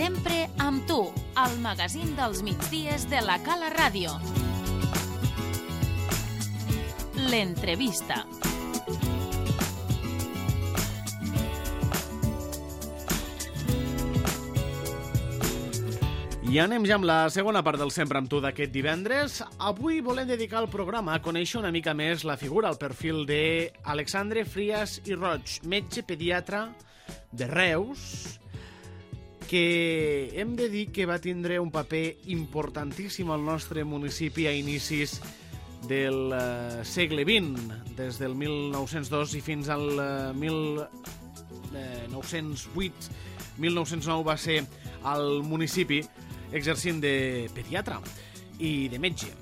Sempre amb tu, al magazín dels migdies de la Cala Ràdio. L'entrevista. I anem ja amb la segona part del Sempre amb tu d'aquest divendres. Avui volem dedicar el programa a conèixer una mica més la figura, el perfil d'Alexandre Frias i Roig, metge pediatre de Reus, que hem de dir que va tindre un paper importantíssim al nostre municipi a inicis del segle XX, des del 1902 i fins al 1908. 1909 va ser al municipi exercint de pediatre i de metge.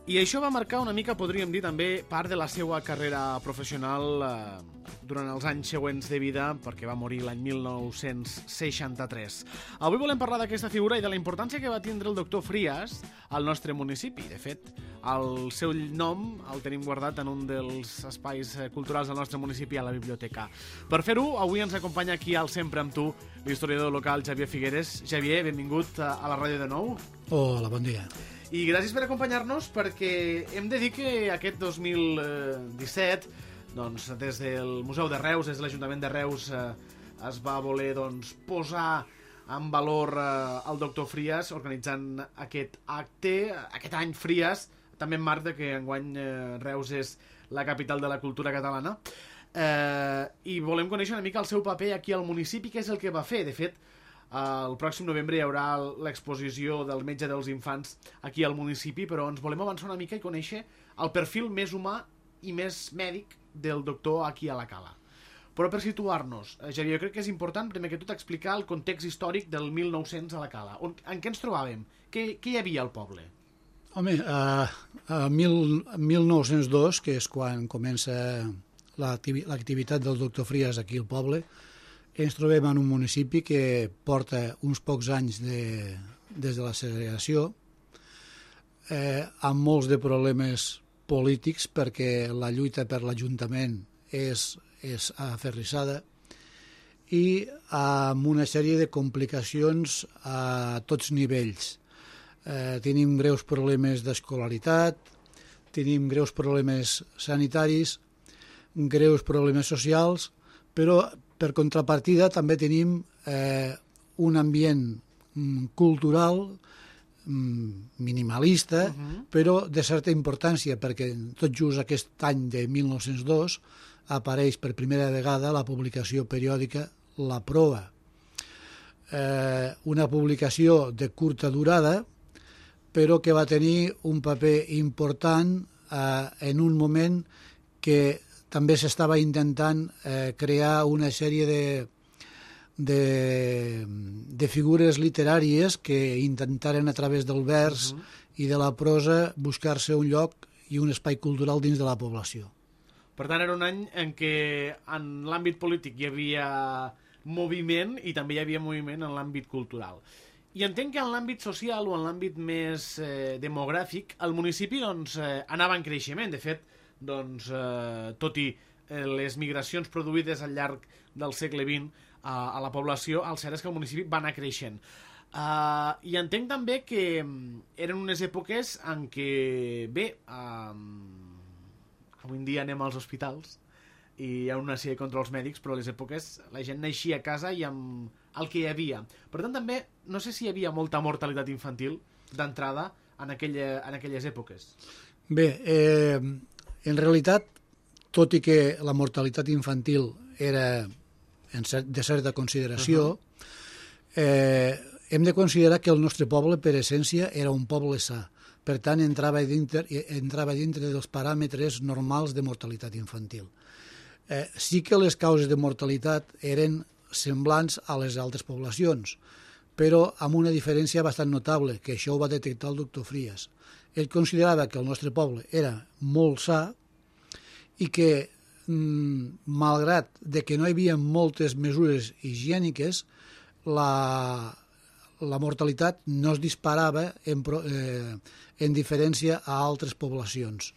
I això va marcar una mica, podríem dir, també part de la seva carrera professional durant els anys següents de vida, perquè va morir l'any 1963. Avui volem parlar d'aquesta figura i de la importància que va tindre el doctor Frias al nostre municipi. De fet, el seu nom el tenim guardat en un dels espais culturals del nostre municipi, a la biblioteca. Per fer-ho, avui ens acompanya aquí al Sempre amb tu l'historiador local Xavier Figueres. Xavier, benvingut a la ràdio de nou. Hola, bon dia. I gràcies per acompanyar-nos, perquè hem de dir que aquest 2017, doncs, des del Museu de Reus, des de l'Ajuntament de Reus, es va voler posar en valor el doctor Frias, organitzant aquest acte, aquest any Frias, també en marc de que enguany Reus és la capital de la cultura catalana. I volem conèixer una mica el seu paper aquí al municipi, què és el que va fer. De fet, el pròxim novembre hi haurà l'exposició del metge dels infants aquí al municipi, però ens volem avançar una mica i conèixer el perfil més humà i més mèdic del doctor aquí a la Cala. Però per situar-nos, Xavier, jo crec que és important primer que tot explicar el context històric del 1900 a la Cala. En què ens trobàvem? Què hi havia al poble? Home, a 1902, que és quan comença l'activitat del doctor Frias aquí al poble, ens trobem en un municipi que porta uns pocs anys des de la segregació, amb molts de problemes polítics, perquè la lluita per l'Ajuntament és aferrissada, i amb una sèrie de complicacions a tots nivells. Tenim greus problemes d'escolaritat, tenim greus problemes sanitaris, greus problemes socials, però per contrapartida també tenim un ambient cultural minimalista, però de certa importància, perquè tot just aquest any de 1902 apareix per primera vegada la publicació periòdica La Proa. Una publicació de curta durada, però que va tenir un paper important en un moment que també s'estava intentant crear una sèrie de figures literàries que intentaren a través del vers i de la prosa buscar-se un lloc i un espai cultural dins de la població. Per tant, era un any en què en l'àmbit polític hi havia moviment i també hi havia moviment en l'àmbit cultural. I entenc que en l'àmbit social o en l'àmbit més demogràfic el municipi anava en creixement. De fet, tot i les migracions produïdes al llarg del segle XX a la població, el cert és que el municipi va anar creixent. I entenc també que eren unes èpoques en què, avui en dia anem als hospitals i hi ha una sèrie de controls mèdics, però a les èpoques la gent naixia a casa i amb el que hi havia. Per tant, també, no sé si hi havia molta mortalitat infantil d'entrada en aquelles èpoques. Bé, en realitat, tot i que la mortalitat infantil era de certa consideració, hem de considerar que el nostre poble, per essència, era un poble sa. Per tant, entrava dintre dels paràmetres normals de mortalitat infantil. Sí que les causes de mortalitat eren semblants a les altres poblacions, però amb una diferència bastant notable, que això ho va detectar el doctor Frias. Ell considerava que el nostre poble era molt sa i que, malgrat de que no hi havia moltes mesures higièniques, la mortalitat no es disparava en diferència a altres poblacions.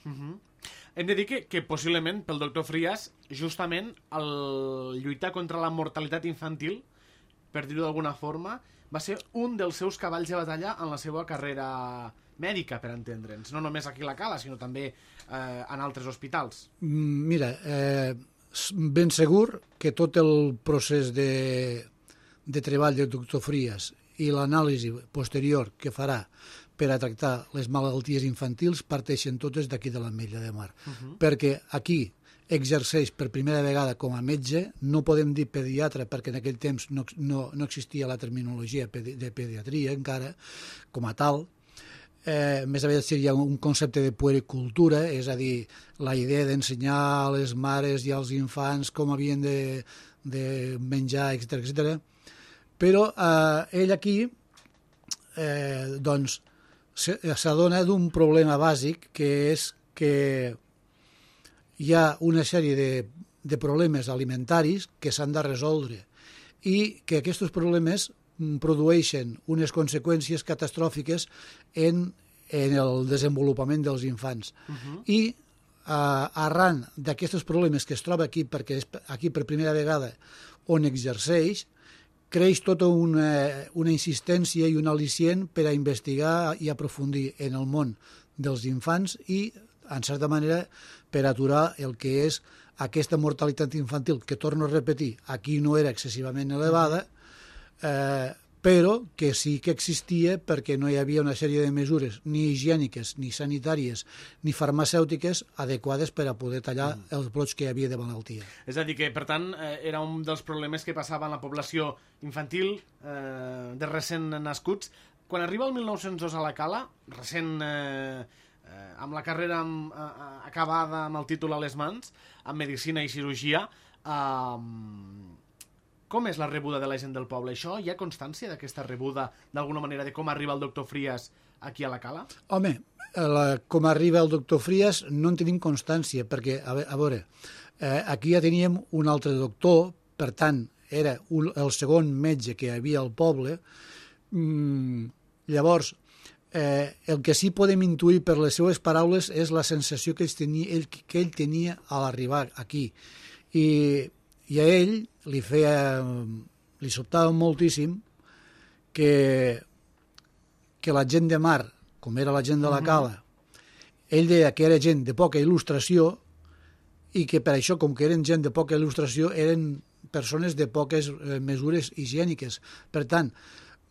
Hem de dir que possiblement pel doctor Frias, justament el lluitar contra la mortalitat infantil, per dir-ho d'alguna forma, va ser un dels seus cavalls de batalla en la seva carrera mèdica, per entendre'ns. No només aquí a la Cala, sinó també en altres hospitals. Mira, ben segur que tot el procés de treball del doctor Frías i l'anàlisi posterior que farà per a tractar les malalties infantils parteixen totes d'aquí de l'Ametlla de Mar. Perquè aquí exerceix per primera vegada com a metge, no podem dir pediatre perquè en aquell temps no existia la terminologia de pediatria encara com a tal. Més aviat seria un concepte de puericultura, és a dir, la idea d'ensenyar a les mares i als infants com havien de menjar, etc. Però ell aquí doncs s'adona d'un problema bàsic, que és que hi ha una sèrie de problemes alimentaris que s'han de resoldre i que aquests problemes produeixen unes conseqüències catastròfiques en el desenvolupament dels infants. I arran d'aquests problemes que es troba aquí, perquè és aquí per primera vegada on exerceix, creix tota una insistència i un al·licient per a investigar i aprofundir en el món dels infants i, en certa manera, per aturar el que és aquesta mortalitat infantil, que, torno a repetir, aquí no era excessivament elevada, però que sí que existia perquè no hi havia una sèrie de mesures ni higièniques, ni sanitàries, ni farmacèutiques adequades per a poder tallar els brots que hi havia de malaltia. És a dir que, per tant, era un dels problemes que passava en la població infantil de recent nascuts. Quan arriba el 1902 a la Cala, recent amb la carrera acabada amb el títol a les mans, en medicina i cirurgia, com és la rebuda de la gent del poble? Això, hi ha constància d'aquesta rebuda, d'alguna manera, de com arriba el doctor Frías aquí a la Cala? Home, com arriba el doctor Frías no en tenim constància, perquè, a veure, aquí ja teníem un altre doctor, per tant, era el segon metge que hi havia al poble. Llavors, el que sí podem intuir per les seues paraules és la sensació que ell tenia a l'arribar aquí. I a ell li sobtava moltíssim que la gent de mar, com era la gent de la Cala, ell deia que era gent de poca il·lustració i que per això, com que eren gent de poca il·lustració, eren persones de poques mesures higièniques. Per tant,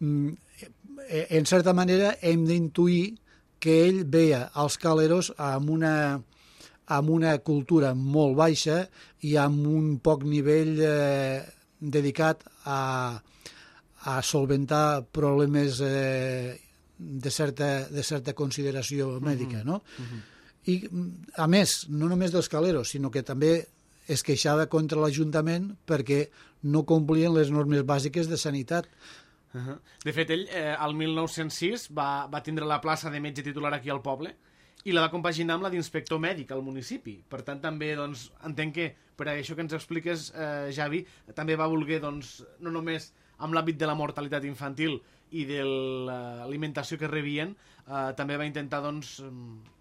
en certa manera hem d'intuir que ell veia als caleros amb una cultura molt baixa i amb un poc nivell dedicat a solventar problemes de certa consideració mèdica, no? I, a més, no només dels caleros, sinó que també es queixava contra l'Ajuntament perquè no complien les normes bàsiques de sanitat. De fet, ell, al 1906, va tindre la plaça de metge titular aquí al poble i la va compaginar amb la d'inspector mèdic al municipi. Per tant, també doncs, entenc que per això que ens expliques, Javi, també va voler, doncs, no només amb l'àmbit de la mortalitat infantil i de l'alimentació que rebien, també va intentar, doncs,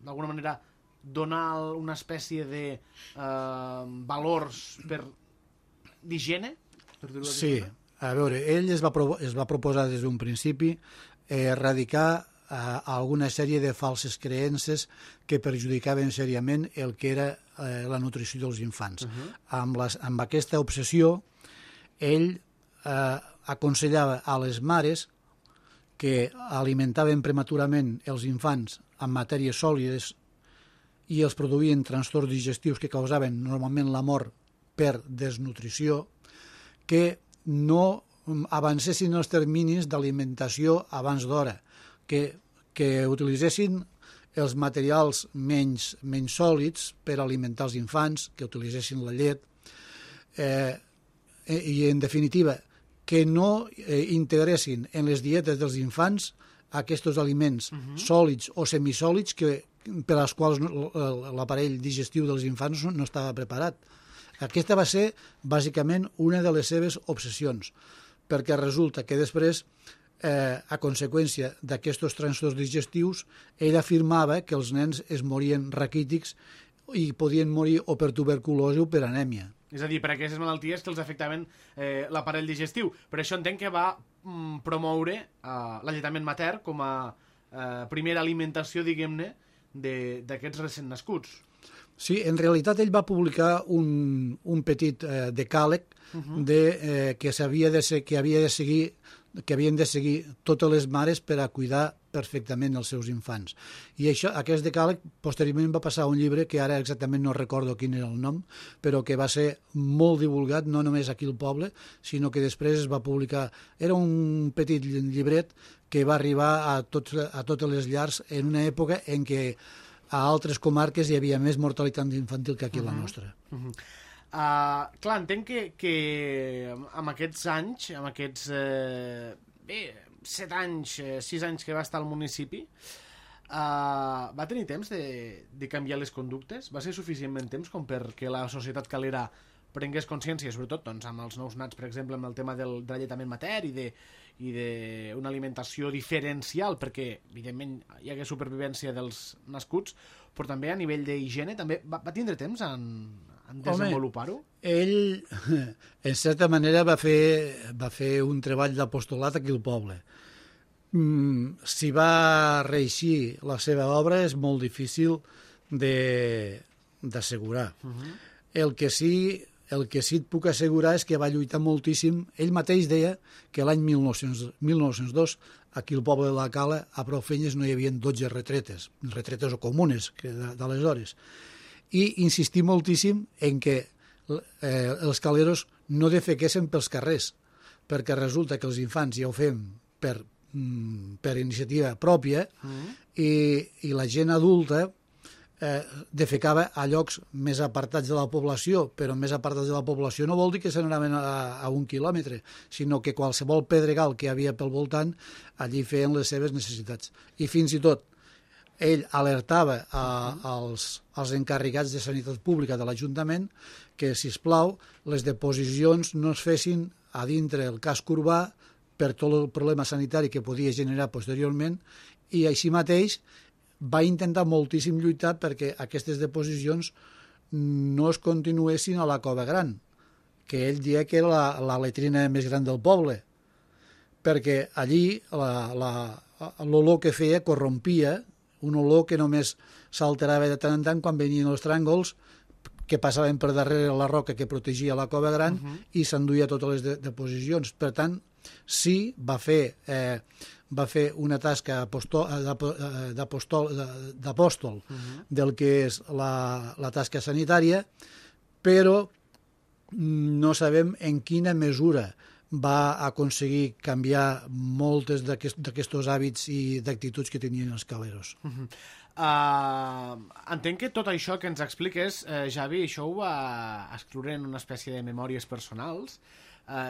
d'alguna manera, donar una espècie de valors d'higiene? Sí, a veure, ell es va proposar des d'un principi erradicar alguna sèrie de falses creences que perjudicaven seriament el que era la nutrició dels infants. Amb aquesta obsessió, ell aconsellava a les mares que alimentaven prematurament els infants amb matèries sòlides i els produïen trastorns digestius que causaven normalment la mort per desnutrició, que no avancessin els terminis d'alimentació abans d'hora, que utilitzessin els materials menys sòlids per alimentar els infants, que utilitzessin la llet, i, en definitiva, que no integressin en les dietes dels infants aquests aliments sòlids o semisòlids per als quals l'aparell digestiu dels infants no estava preparat. Aquesta va ser, bàsicament, una de les seves obsessions, perquè resulta que després, a conseqüència d'aquests trastorns digestius, ell afirmava que els nens es morien raquítics i podien morir o per tuberculosi o per anèmia. És a dir, per aquestes malalties que els afectaven l'aparell digestiu. Per això entenc que va promoure l'alletament mater com a primera alimentació, diguem-ne, d'aquests recent nascuts. Sí, en realitat ell va publicar un petit decàleg que havien de seguir totes les mares per a cuidar perfectament els seus infants. I aquest decàleg posteriorment va passar a un llibre que ara exactament no recordo quin era el nom, però que va ser molt divulgat, no només aquí al poble, sinó que després es va publicar. Era un petit llibret que va arribar a totes les llars en una època en què a altres comarques hi havia més mortalitat infantil que aquí a la nostra. Clar, entenc que amb aquests anys, amb aquests 7 anys, 6 anys que va estar al municipi, va tenir temps de canviar les conductes? Va ser suficientment temps com perquè la societat calera prengués consciència, sobretot doncs, amb els nous nats, per exemple, amb el tema de l'alletament mater i d'una alimentació diferencial, perquè, evidentment, hi hagués supervivència dels nascuts, però també a nivell d'higiene també va tindre temps en desenvolupar-ho? Ell, en certa manera, va fer un treball d'apostolat aquí al poble. Si va reeixir la seva obra és molt difícil d'assegurar. El que sí et puc assegurar és que va lluitar moltíssim. Ell mateix deia que l'any 1902 aquí al poble de la Cala a prou feines no hi havia 12 retretes o comunes d'aleshores. I insistir moltíssim en que els caleros no defequessin pels carrers, perquè resulta que els infants ja ho fem per iniciativa pròpia i la gent adulta defecava a llocs més apartats de la població, però més apartats de la població no vol dir que se n'anaven a 1 quilòmetre, sinó que qualsevol pedregal que hi havia pel voltant, allí feien les seves necessitats. I fins i tot ell alertava als encarregats de sanitat pública de l'Ajuntament que, sisplau, les deposicions no es fessin a dintre el casc urbà per tot el problema sanitari que podia generar posteriorment, i així mateix va intentar moltíssim lluitar perquè aquestes deposicions no es continuessin a la Cova Gran, que ell deia que era la letrina més gran del poble, perquè allí l'olor que feia corrompia, un olor que només s'alterava de tant en tant quan venien els tràngols que passaven per darrere la roca que protegia la Cova Gran i s'enduia totes les deposicions. Per tant, sí, va fer una tasca d'apòstol del que és la tasca sanitària, però no sabem en quina mesura va aconseguir canviar moltes d'aquests hàbits i d'actituds que tenien els caleros. Entenc que tot això que ens expliques, Javi, això ho va escriure en una espècie de memòries personals,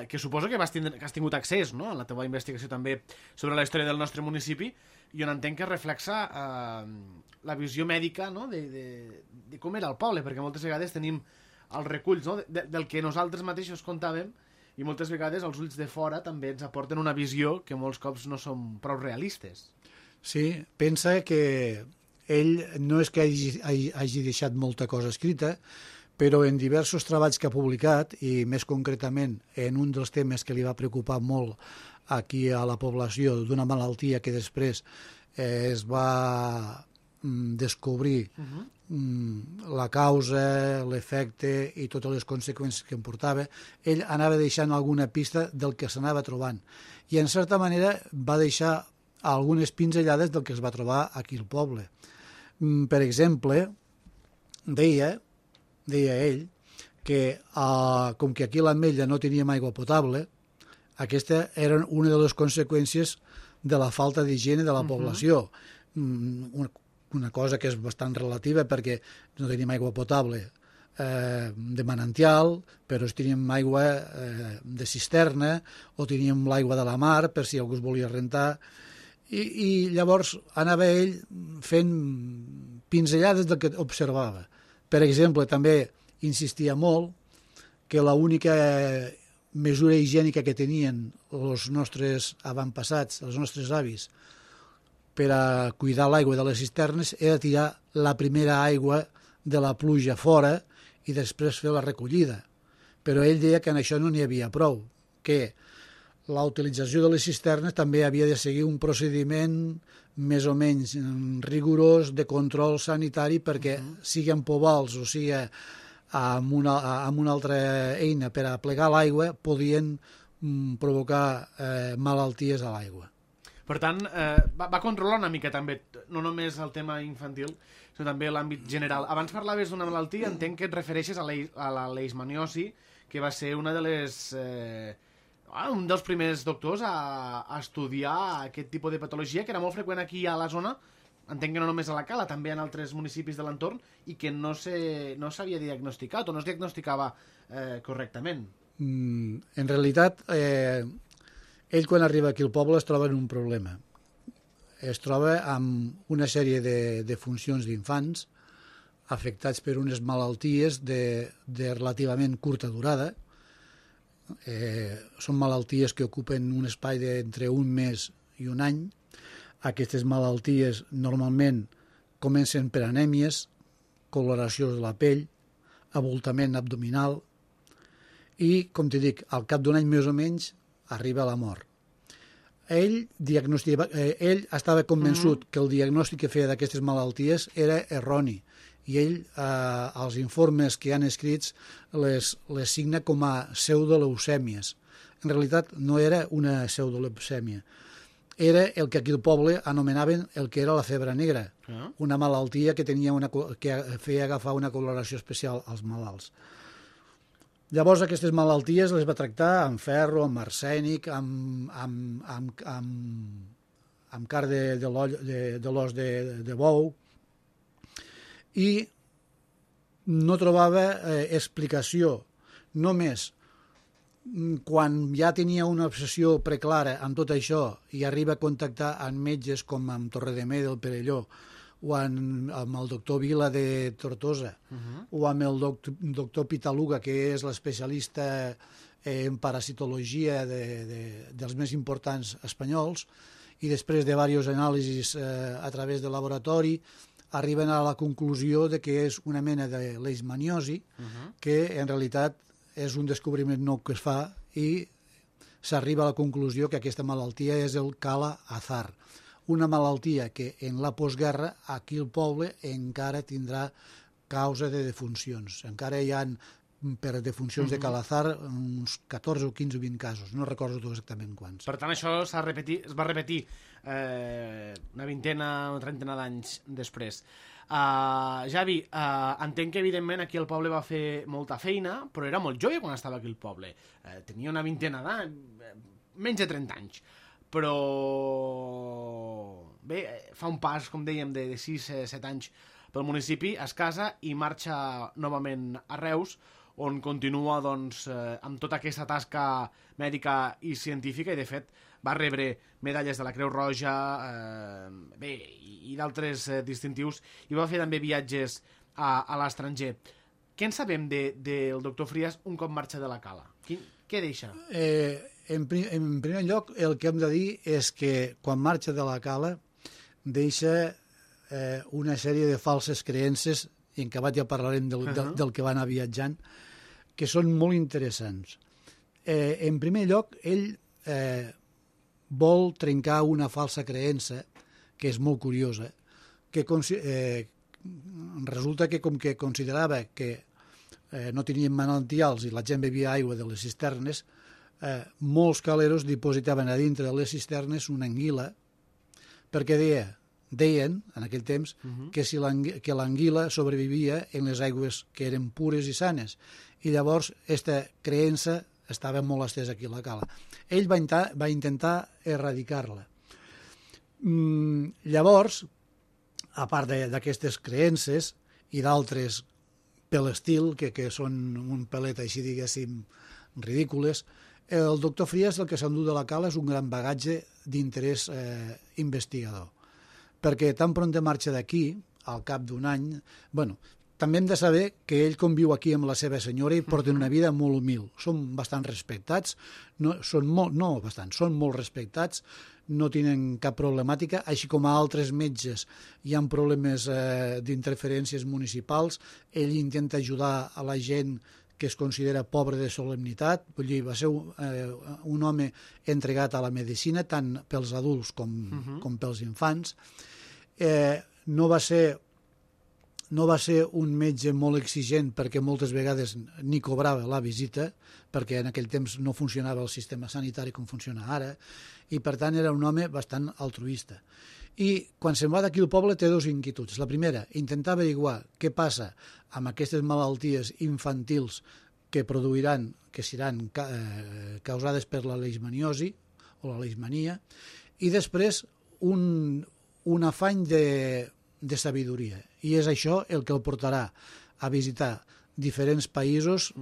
que suposo que has tingut accés, no?, en la teva investigació també sobre la història del nostre municipi, i on entenc que reflexa la visió mèdica, no?, de com era el poble, perquè moltes vegades tenim els reculls, no?, del que nosaltres mateixos contàvem, i moltes vegades els ulls de fora també ens aporten una visió que molts cops no són prou realistes. Sí, pensa que ell no és que hagi deixat molta cosa escrita, però en diversos treballs que ha publicat, i més concretament en un dels temes que li va preocupar molt aquí a la població, d'una malaltia que després es va descobrir la causa, l'efecte i totes les conseqüències que em portava, ell anava deixant alguna pista del que s'anava trobant. I en certa manera va deixar algunes pinzellades del que es va trobar aquí al poble. Per exemple, deia ell que com que aquí a l'Ametlla no teníem aigua potable, aquesta era una de les conseqüències de la falta d'higiene de la població. Una cosa que és bastant relativa perquè no tenim aigua potable de manantial, però teníem aigua de cisterna o teníem l'aigua de la mar per si algú es volia rentar. I llavors anava ell fent pinzellades del que observava. Per exemple, també insistia molt que l'única mesura higiènica que tenien els nostres avantpassats, els nostres avis, per a cuidar l'aigua de les cisternes era tirar la primera aigua de la pluja fora i després fer la recollida. però ell deia que en això no n'hi havia prou, que la utilització de les cisternes també havia de seguir un procediment més o menys rigorós de control sanitari perquè sigui amb povals o sigui amb una altra eina per a plegar l'aigua podien provocar malalties a l'aigua. Per tant, va controlar una mica també, no només el tema infantil, sinó també l'àmbit general. Abans parlaves d'una malaltia, entenc que et refereixes a la leishmaniosi, que va ser una de les... un dels primers doctors a estudiar aquest tipus de patologia, que era molt freqüent aquí a la zona, entenc que no només a la Cala, també en altres municipis de l'entorn, i que no s'havia diagnosticat o no es diagnosticava correctament. En realitat, ell quan arriba aquí al poble es troba en un problema. Es troba amb una sèrie de funcions d'infants afectats per unes malalties de relativament curta durada. Són malalties que ocupen un espai d'entre un mes i un any. Aquestes malalties normalment comencen per anèmies, coloració de la pell, abultament abdominal i, com t'hi dic, al cap d'un any més o menys arriba a la mort. Ell estava convençut que el diagnòstic que feia d'aquestes malalties era erroni i ell, als informes que han escrits, les signa com a pseudoleucèmies. En realitat no era una pseudoleucèmia, era el que aquí al poble anomenaven el que era la febre negra, una malaltia que feia agafar una coloració especial als malalts. Llavors aquestes malalties les va tractar amb ferro, amb arsènic, amb carn de l'os de bou, i no trobava explicació. Només quan ja tenia una obsessió preclara amb tot això i arriba a contactar amb metges com amb Torredemé del Perelló o amb el doctor Vila de Tortosa o amb el doctor Pitaluga, que és l'especialista en parasitologia dels més importants espanyols, i després de diversos anàlisis a través del laboratori arriben a la conclusió de que és una mena de leishmaniosi, que en realitat és un descobriment nou que es fa i s'arriba a la conclusió que aquesta malaltia és el Kala Azar, una malaltia que en la postguerra aquí al poble encara tindrà causa de defuncions. Encara hi ha, per defuncions de Calazar, uns 14 o 15 o 20 casos. No recordo exactament quants. Per tant, això es va repetir una vintena o trentena d'anys després. Javi, entenc que evidentment aquí al poble va fer molta feina, però era molt jove quan estava aquí al poble. Tenia una vintena d'anys, menys de 30 anys. Però bé, fa un pas, com dèiem, de 6-7 anys pel municipi, es casa i marxa novament a Reus, on continua doncs, amb tota aquesta tasca mèdica i científica, i de fet va rebre medalles de la Creu Roja i d'altres distintius, i va fer també viatges a l'estranger. Què en sabem del doctor Frías un cop marxa de la Cala? Què deixa? En primer lloc, el que hem de dir és que quan marxa de la Cala deixa una sèrie de falses creences, i en acabat ja parlarem del que va anar viatjant, que són molt interessants. En primer lloc, ell vol trencar una falsa creença, que és molt curiosa, que resulta que com que considerava que no tenien manantials i la gent bevia aigua de les cisternes, molts caleros dipositaven a dintre de les cisternes una anguila, perquè deien, en aquell temps, que l'anguila sobrevivia en les aigües que eren pures i sanes. I llavors, aquesta creença estava molt estesa aquí a la Cala. Ell va intentar erradicar-la. Llavors, a part d'aquestes creences i d'altres per l'estil, que són un pelet així, diguéssim, ridícules, el doctor Frías el que s'endú de la Cala és un gran bagatge d'interès investigador, perquè tan pront de marxa d'aquí, al cap d'un any, bueno, també hem de saber que ell conviu aquí amb la seva senyora i porten una vida molt humil. Són bastant respectats, són molt respectats, no tenen cap problemàtica, així com a altres metges hi ha problemes d'interferències municipals. Ell intenta ajudar a la gent que es considera pobre de solemnitat, vull dir, va ser un home entregat a la medicina, tant pels adults com pels infants. No va ser un metge molt exigent perquè moltes vegades ni cobrava la visita, perquè en aquell temps no funcionava el sistema sanitari com funciona ara, i per tant era un home bastant altruista. I quan se'n va d'aquí al poble té dues inquietuds. La primera, intentar averiguar què passa amb aquestes malalties infantils que produiran, que seran causades per la leishmaniosi o la leishmania, i després un afany de sabidoria. I és això el que el portarà a visitar diferents països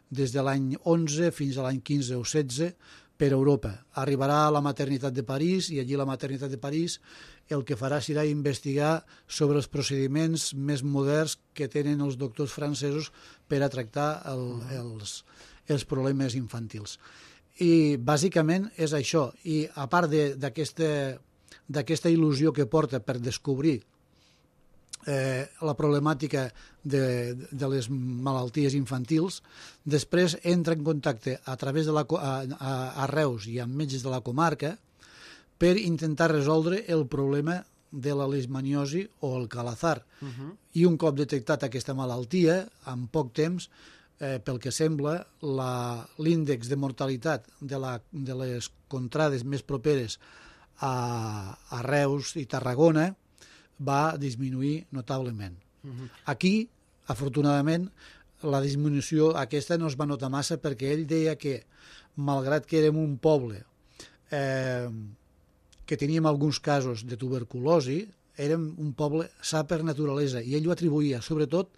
des de l'any 11 fins a l'any 15 o 16 per Europa. Arribarà a la maternitat de París i allí a la maternitat de París el que farà serà investigar sobre els procediments més moderns que tenen els doctors francesos per a tractar els problemes infantils. I bàsicament és això. I a part d'aquesta il·lusió que porta per descobrir la problemàtica de les malalties infantils, després entra en contacte a través a Reus i amb metges de la comarca per intentar resoldre el problema de la leishmaniosi o el calazar. I un cop detectat aquesta malaltia, en poc temps, pel que sembla, l'índex de mortalitat de les contrades més properes a Reus i Tarragona va disminuir notablement. Aquí, afortunadament, la disminució aquesta no es va notar massa perquè ell deia que, malgrat que érem un poble que teníem alguns casos de tuberculosi, érem un poble sa per naturalesa, i ell ho atribuïa sobretot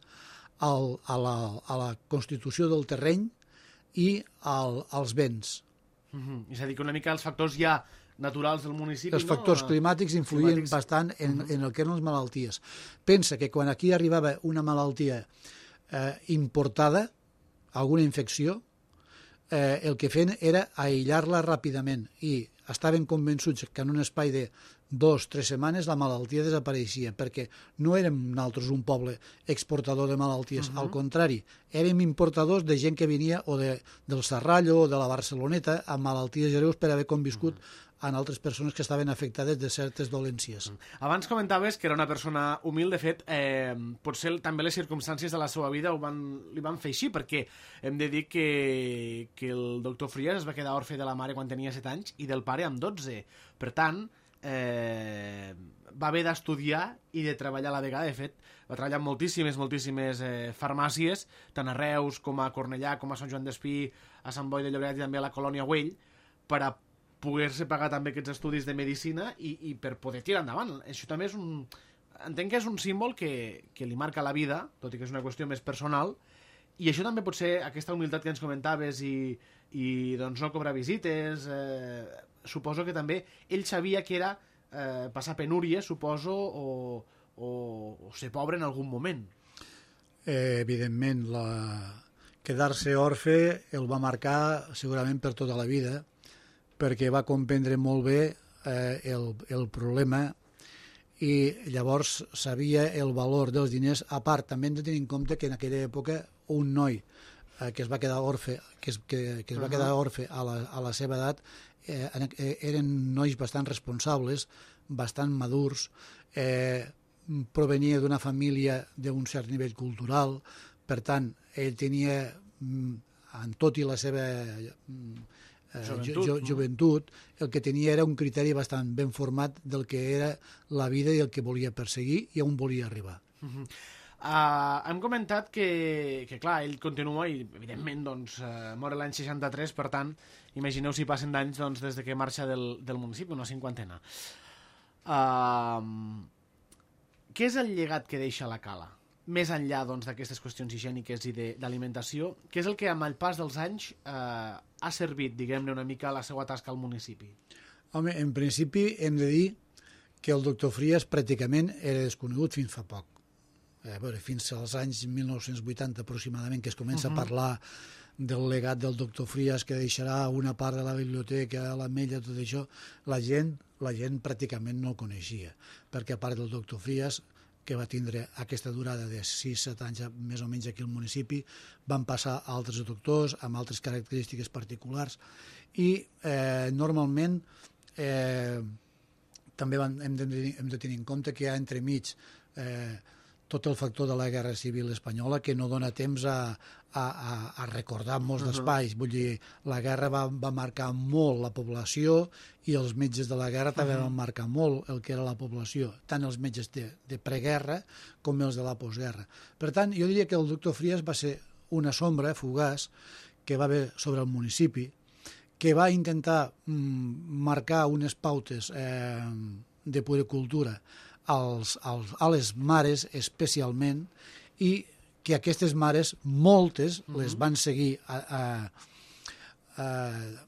a la constitució del terreny i als vents. És a dir, que una mica els factors ja naturals del municipi... Els factors climàtics influïen bastant en el que eren les malalties. Pensa que quan aquí arribava una malaltia importada, alguna infecció, el que feien era aïllar-la ràpidament i estaven convençuts que en un espai de 2 o 3 setmanes la malaltia desapareixia, perquè no érem nosaltres un poble exportador de malalties, al contrari, érem importadors de gent que venia o del Serrallo o de la Barceloneta amb malalties greus per haver conviscut en altres persones que estaven afectades de certes dolències. Abans comentaves que era una persona humil, de fet, potser també les circumstàncies de la seva vida li van fer així, perquè hem de dir que el doctor Frias es va quedar orfe de la mare quan tenia 7 anys i del pare amb 12. Per tant, va haver d'estudiar i de treballar a la vegada. De fet, va treballar en moltíssimes farmàcies, tant a Reus com a Cornellà, com a Sant Joan d'Espí, a Sant Boi de Llobregat i també a la Colònia Güell, per a poder-se pagar també aquests estudis de medicina i per poder tirar endavant. Això també és entenc que és un símbol que li marca la vida, tot i que és una qüestió més personal, i això també pot ser aquesta humilitat que ens comentaves i doncs no cobrar visites. Suposo que també ell sabia que era passar penúries, suposo, o ser pobre en algun moment. Evidentment, quedar-se orfe el va marcar segurament per tota la vida, perquè va comprendre molt bé el problema i llavors sabia el valor dels diners. A part, també hem de tenir en compte que en aquella època un noi que es va quedar orfe, a la seva edat, eren nois bastant responsables, bastant madurs, provenia d'una família d'un cert nivell cultural, per tant, ell tenia, en tot i la seva joventut, el que tenia era un criteri bastant ben format del que era la vida i el que volia perseguir i on volia arribar. Hem comentat que clar, ell continua i evidentment mor l'any 63, per tant imagineu si passen d'anys des de que marxa del municipi, una 50ena. Què és el llegat que deixa la Cala? Més enllà d'aquestes qüestions higièniques i d'alimentació, què és el que amb el pas dels anys ha servit, diguem-ne, una mica a la seva tasca al municipi? Home, en principi hem de dir que el doctor Frias pràcticament era desconegut fins fa poc. Fins als anys 1980 aproximadament, que es comença a parlar del legat del doctor Frias, que deixarà una part de la biblioteca, l'Ametlla, tot això, la gent pràcticament no el coneixia, perquè a part del doctor Frias, que va tindre aquesta durada de 6-7 anys més o menys aquí al municipi, van passar a altres doctors amb altres característiques particulars i normalment també hem de tenir en compte que hi ha entremig tot el factor de la Guerra Civil Espanyola que no dona temps a recordar molts d'espais. Vull dir, la guerra va marcar molt la població i els metges de la guerra també van marcar molt el que era la població, tant els metges de preguerra com els de la postguerra. Per tant, jo diria que el doctor Frías va ser una sombra fugaç que va haver sobre el municipi, que va intentar marcar unes pautes de puericultura a les mares especialment i que aquestes mares, moltes, les van seguir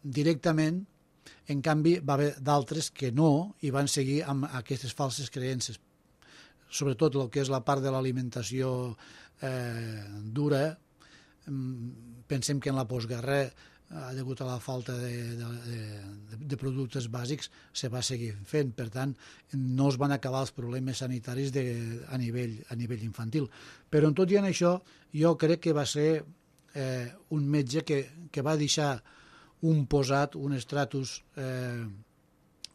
directament, en canvi va haver d'altres que no i van seguir amb aquestes falses creences. Sobretot el que és la part de l'alimentació dura, pensem que en la postguerra degut a la falta de productes bàsics se va seguir fent, per tant no es van acabar els problemes sanitaris a nivell infantil, però tot i en això jo crec que va ser un metge que va deixar un posat, un estratus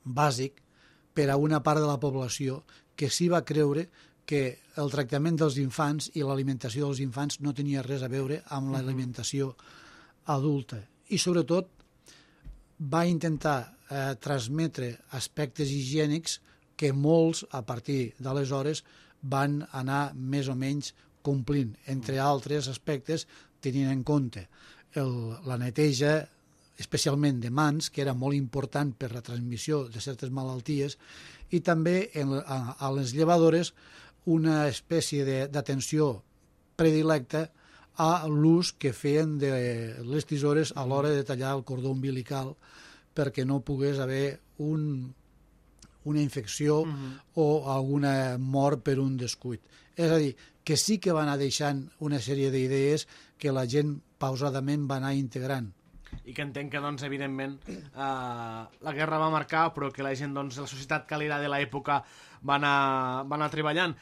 bàsic per a una part de la població que sí va creure que el tractament dels infants i l'alimentació dels infants no tenia res a veure amb l'alimentació adulta. I sobretot va intentar transmetre aspectes higiènics que molts, a partir d'aleshores, van anar més o menys complint, entre altres aspectes, tenint en compte la neteja, especialment de mans, que era molt important per la transmissió de certes malalties, i també a les llevadores una espècie d'atenció predilecta a l'ús que feien de les tisores a l'hora de tallar el cordó umbilical perquè no pogués haver una infecció o alguna mort per un descuit. És a dir, que sí que va anar deixant una sèrie d'idees que la gent pausadament va anar integrant. I que entenc que, doncs, evidentment, la guerra va marcar, però que la gent, doncs, la societat calera de l'època va anar treballant.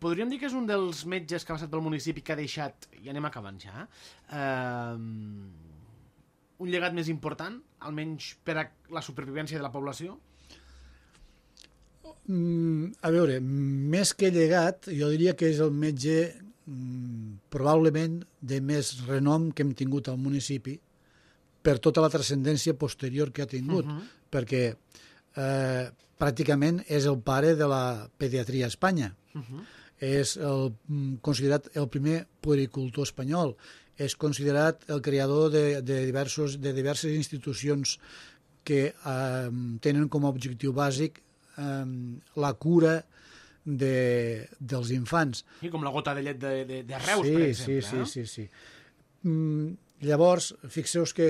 Podríem dir que és un dels metges que ha passat pel municipi que ha deixat, i anem acabant ja, un llegat més important, almenys per a la supervivència de la població? A veure, més que llegat, jo diria que és el metge probablement de més renom que hem tingut al municipi per tota la transcendència posterior que ha tingut, perquè pràcticament és el pare de la pediatria a Espanya. És considerat el primer puericultor espanyol, és considerat el creador de diverses institucions que tenen com a objectiu bàsic la cura dels infants. I com la gota de llet de Reus, per exemple. Sí. Llavors, fixeu-vos que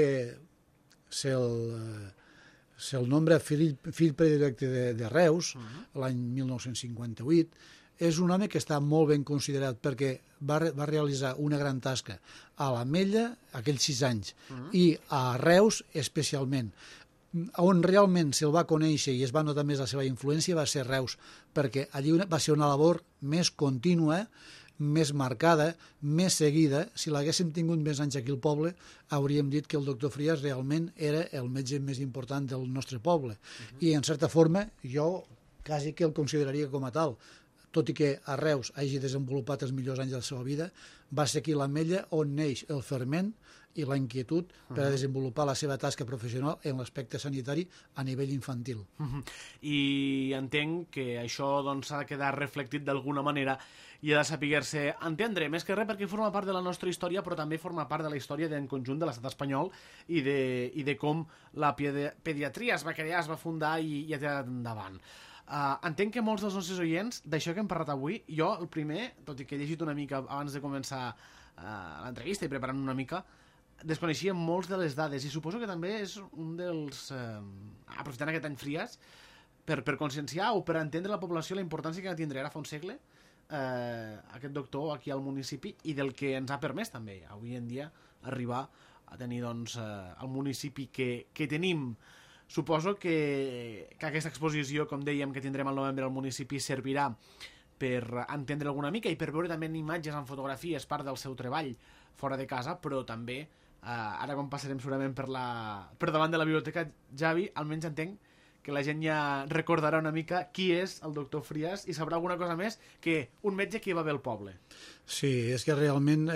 se'l nombra fill predilecte de Reus, l'any 1958, és un home que està molt ben considerat perquè va realitzar una gran tasca a l'Ametlla, aquells 6 anys, i a Reus especialment. On realment se'l va conèixer i es va notar més la seva influència va ser Reus, perquè allí va ser una labor més contínua, més marcada, més seguida. Si l'haguéssim tingut més anys aquí al poble, hauríem dit que el doctor Frías realment era el metge més important del nostre poble. I, en certa forma, jo quasi que el consideraria com a tal. Tot i que a Reus hagi desenvolupat els millors anys de la seva vida, va ser aquí a l'Ametlla on neix el ferment i la inquietud per a desenvolupar la seva tasca professional en l'aspecte sanitari a nivell infantil. I entenc que això s'ha de quedar reflectit d'alguna manera i ha de saber-se entendre, més que res perquè forma part de la nostra història, però també forma part de la història en conjunt de l'estat espanyol i de com la pediatria es va crear, es va fundar i ha tirat endavant. Entenc que molts dels nostres oients, d'això que hem parlat avui, jo el primer, tot i que he llegit una mica abans de començar l'entrevista i preparant una mica, desconeixia molts de les dades i suposo que també és un dels... aprofitant aquest any Frías, per conscienciar o per entendre la població la importància que tindrà ara fa un segle aquest doctor aquí al municipi i del que ens ha permès també avui en dia arribar a tenir el municipi que tenim. Suposo que aquesta exposició, com dèiem, que tindrem al novembre al municipi servirà per entendre alguna mica i per veure també en imatges, en fotografies, part del seu treball fora de casa, però també, ara quan passarem segurament per davant de la biblioteca, Javi, almenys entenc que la gent ja recordarà una mica qui és el doctor Frias i sabrà alguna cosa més que un metge que va bé al poble. Sí, és que realment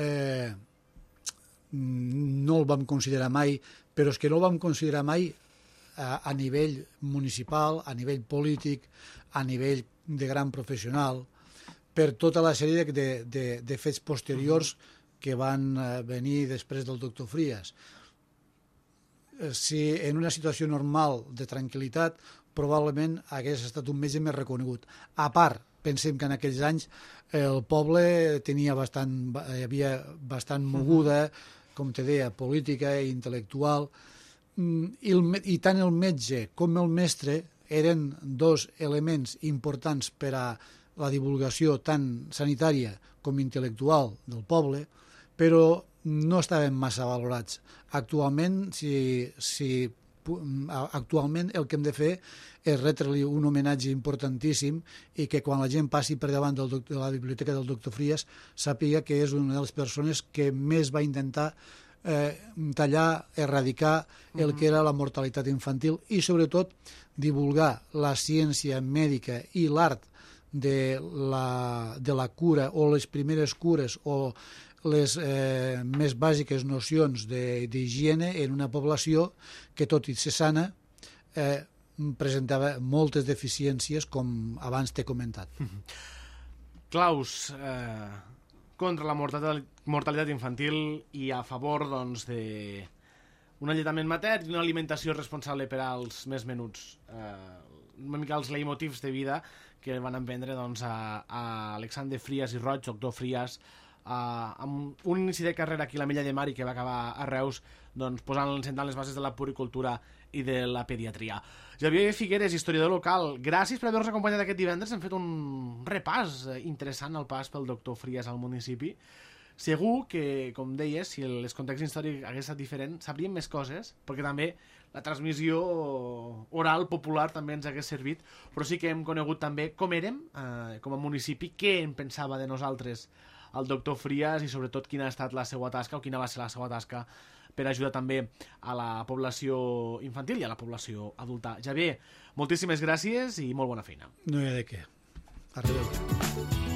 no el vam considerar mai, però és que no el vam considerar mai a nivell municipal, a nivell polític, a nivell de gran professional, per tota la sèrie de fets posteriors que van venir després del doctor Frias. Si en una situació normal de tranquil·litat probablement hagués estat un metge més reconegut. A part, pensem que en aquells anys el poble hi havia bastant moguda, com te deia, política i intel·lectual, i tant el metge com el mestre eren dos elements importants per a la divulgació tant sanitària com intel·lectual del poble, però no estaven massa valorats. Actualment, actualment el que hem de fer és retre-li un homenatge importantíssim i que quan la gent passi per davant de la biblioteca del doctor Frias sàpiga que és una de les persones que més va intentar tallar, erradicar el que era la mortalitat infantil i sobretot divulgar la ciència mèdica i l'art de la cura o les primeres cures o les més bàsiques nocions d'higiene en una població que, tot i ser sana, presentava moltes deficiències, com abans t'he comentat. Claus, contra la mortalitat infantil i a favor doncs, d'un alletament matern i una alimentació responsable per als més menuts. Una mica els leitmotivs de vida que van emprendre doncs, a Alexandre Frias i Roig, doctor Frias, amb un inici de carrera aquí a l'Ametlla de Mar i que va acabar a Reus doncs, sentant les bases de la puricultura i de la pediatria. Javier Figueres, historiador local, gràcies per haver-nos acompanyat aquest divendres. Hem fet un repàs interessant al pas pel doctor Frias al municipi. Segur que, com deies, si el context històric hagués estat diferent, sabríem més coses, perquè també la transmissió oral popular també ens hagués servit, però sí que hem conegut també com érem, com a municipi, què en pensava de nosaltres el doctor Frias i sobretot quina ha estat la seva tasca o quina va ser la seva tasca per ajudar també a la població infantil i a la població adulta. Javier, moltíssimes gràcies i molt bona feina. No hi ha de què. A reveure.